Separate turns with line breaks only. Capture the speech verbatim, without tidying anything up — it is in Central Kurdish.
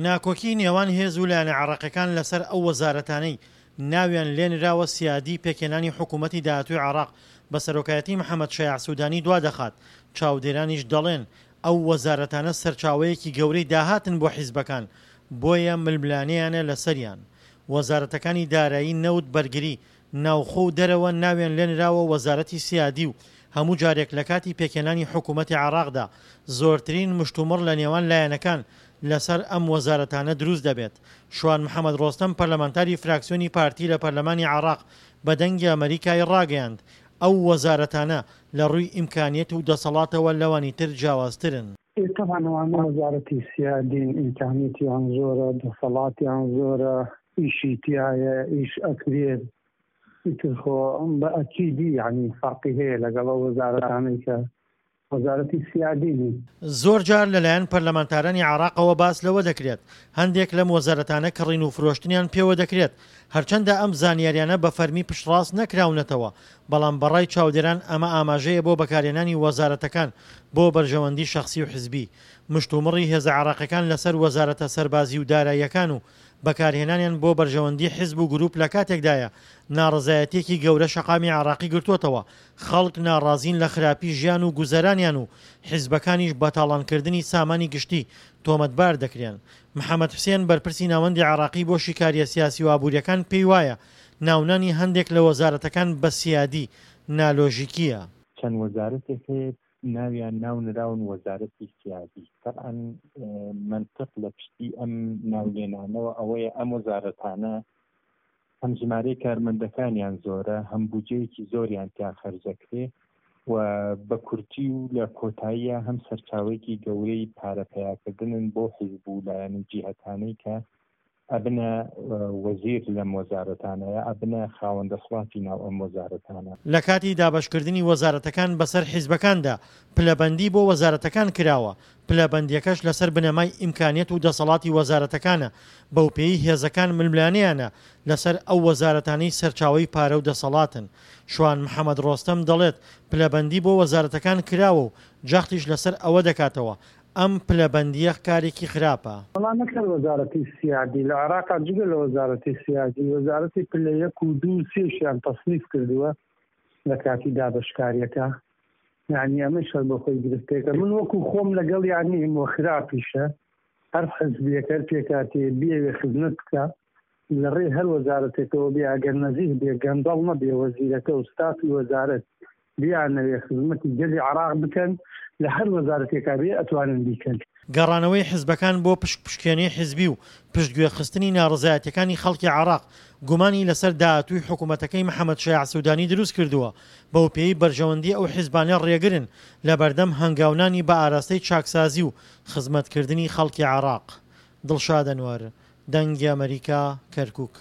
ناکۆکی نێوان هێز و لایەنە عێراقیەکان لەسەر ئەو وەزارەتانەی ناویان لێنراوە سیادی، پێکهێنانی حکوومەتی داهاتووی عێراق بە سەرۆکایەتی محەمەد شەیاع سودانی دوادەخات، چاودێرانیش دەڵێن، ئەو وەزارەتانە سەرچاوەیەکی گەورەی داهاتن بۆ حیزبەکان، بۆیە ململانێیانە لەسەریان. وەزارەتەکانی دارایی، نەوت، بەرگری، ناوخۆ و دەرەوە ناویان لێنراوە وەزارەتی سیادی و هەموو جارێک لەکاتی پێکهێنانی حکوومەتی عێراقدا زۆرترین مشتومڕ لە نێوان لایەنەکان لەسەر ئەم وەزارەتانە دروست دەبێت. شوان محەمەد ڕۆستەم پەرلەمانتاری فراکسیۆنی پارتی لە پەرلەمانی عێراق بە دەنگی ئەمەریکای ڕاگەیاند، ئەو وەزارەتانە لە ڕووی ئیمکانیەت و دەسەڵاتەوە لەوانی تر جیاوازترن.
ئێ تەبعەن ئەوانە وەزارەتی سیادین، ئیمکانیەتیان زۆرە، دەسەڵاتیان زۆرە، ئیشی تیایە، ئیش ئەکرێت، ئیتر خۆ بە ئەکیدی یانی فەرقی هەیە لەگەڵ ئەو وەزارەتانەی کە وەزارەتی سیادی نین.
زۆر جار لەلایەن پەرلەمانتارانی عێراقەوە باس لەوە دەکرێت، هەندێک لەم وەزارەتانە کڕین و فرۆشتنیان پێوە دەکرێت، هەرچەندە ئەم زانیاریانە بە فەرمی پشتڕاست نەکراونەتەوە، بەڵام بەڕای چاودێران ئەمە ئاماژەیە بۆ بەکارهێنانی وەزارەتەکان بۆ بەرژەوەندی شەخسی و حزبی. مشتومڕی هێزە عێراقیەکان لەسەر وەزارەتە سەربازی و داراییەکان و بەکارهێنانیان بۆ بەرژەوەندی حزب و گروپ لەکاتێکدایە ناڕەزایەتیەکی گەورە شەقامی عێراقی گرتووەتەوە، خەڵک ناڕازین لە خراپی ژیان و گوزەرانیان و حیزبەکانیش بە تاڵانکردنی سامانی گشتی تۆمەتبار دەکرێن. محەمەد حوسێن بەرپرسی ناوەندی عێراقی بۆ شیکارییە سیاسی و ئابوورییەکان پێی وایە ناونانی هەندێک لە وەزارەتەکان بە سیادی، نالۆژیکییە.
چەند وەزارەتێک هەیە ناویان ناو نراون وەزارەتی سیادی، تەبعەن مەنتق لە پشتی ئەم ناولێنانەوە ئەوەیە ئەم وەزارەتانە هەم ژمارەی کارمەندەکانیان زۆرە، هەم بودجەیەکی زۆریان تیا خەرجەکرێ و بە کورتی و لە کۆتاییە هەم سەرچاوەیەکی گەورەی پارە پەیاکردنن بۆ حیزب و لایەن و جیهەتانەی کە ئەبنە وەزیر لەم وەزارەتانە یا ئەبنە خاوەن دەسڵاتی ناو ئەم وەزارەتانە.
لە کاتی دابەشکردنی وەزارەتەکان بەسەر حیزبەکاندا پلەبەندی بۆ وەزارەتەکان کراوە، پلەبەندییەکەش لەسەر بنەمای ئیمکانیەت و دەسەڵاتی وەزارەتەکانە، بەوپێیەی هێزەکان ململانێیانە لەسەر ئەو وەزارەتانەی سەرچاوەی پارە و دەسەڵاتن. شوان محەمەد ڕۆستەم دەڵێت، پلەبەندی بۆ وەزارەتەکان کراوە و جەختیش لەسەر ئەوە دەکاتەوە، ئەم پلەبەندییە کارێکی خراپە.
وەڵا نەک هەر وەزارەتی سیادی، لە عێراقا جگە لە وەزارەتی سیادی، وەزارەتی پلە یەک و دوو و سێشیان تەسنیف کردووە لە کاتی دابەشکارییەکە. یانی ئەمەش هەر بۆ خۆی گرفتێکە. من وەکو خۆم لەگەڵیان نیم و خراپیشە هەر حزبێک هەر پێکهاتەیە بیەوێ خزمەت بکا لە ڕێی هەر وەزارەتێکەوە بێ ئەگەر نەزیه بێ گەندەڵ نەبێ وەزیرەکە و ستافی وەزارەت بیانەوێ خزمەتی گەلی عێراق بکەن لە هەر وەزارەتێکا بێ ئەتوانن بیکەن.
گەڕانەوەی حزبەکان بۆ پشکپشکێنەی حزبی و پشتگوێخستنی ناڕەزایەتیەکانی خەڵکی عێراق گومانی لەسەر داهاتووی حکومەتەکەی محەمەد شیاع سودانی دروستکردووە، بەوپێیەی بەرژەوەندی ئەو حزبانە ڕێگرن لەبەردەم هەنگاونانی بە ئاراستەی چاکسازی و خزمەتکردنی خەڵکی عێراق. دڵشاد ئەنوەر، دەنگی ئەمەریکا، کەرکوک.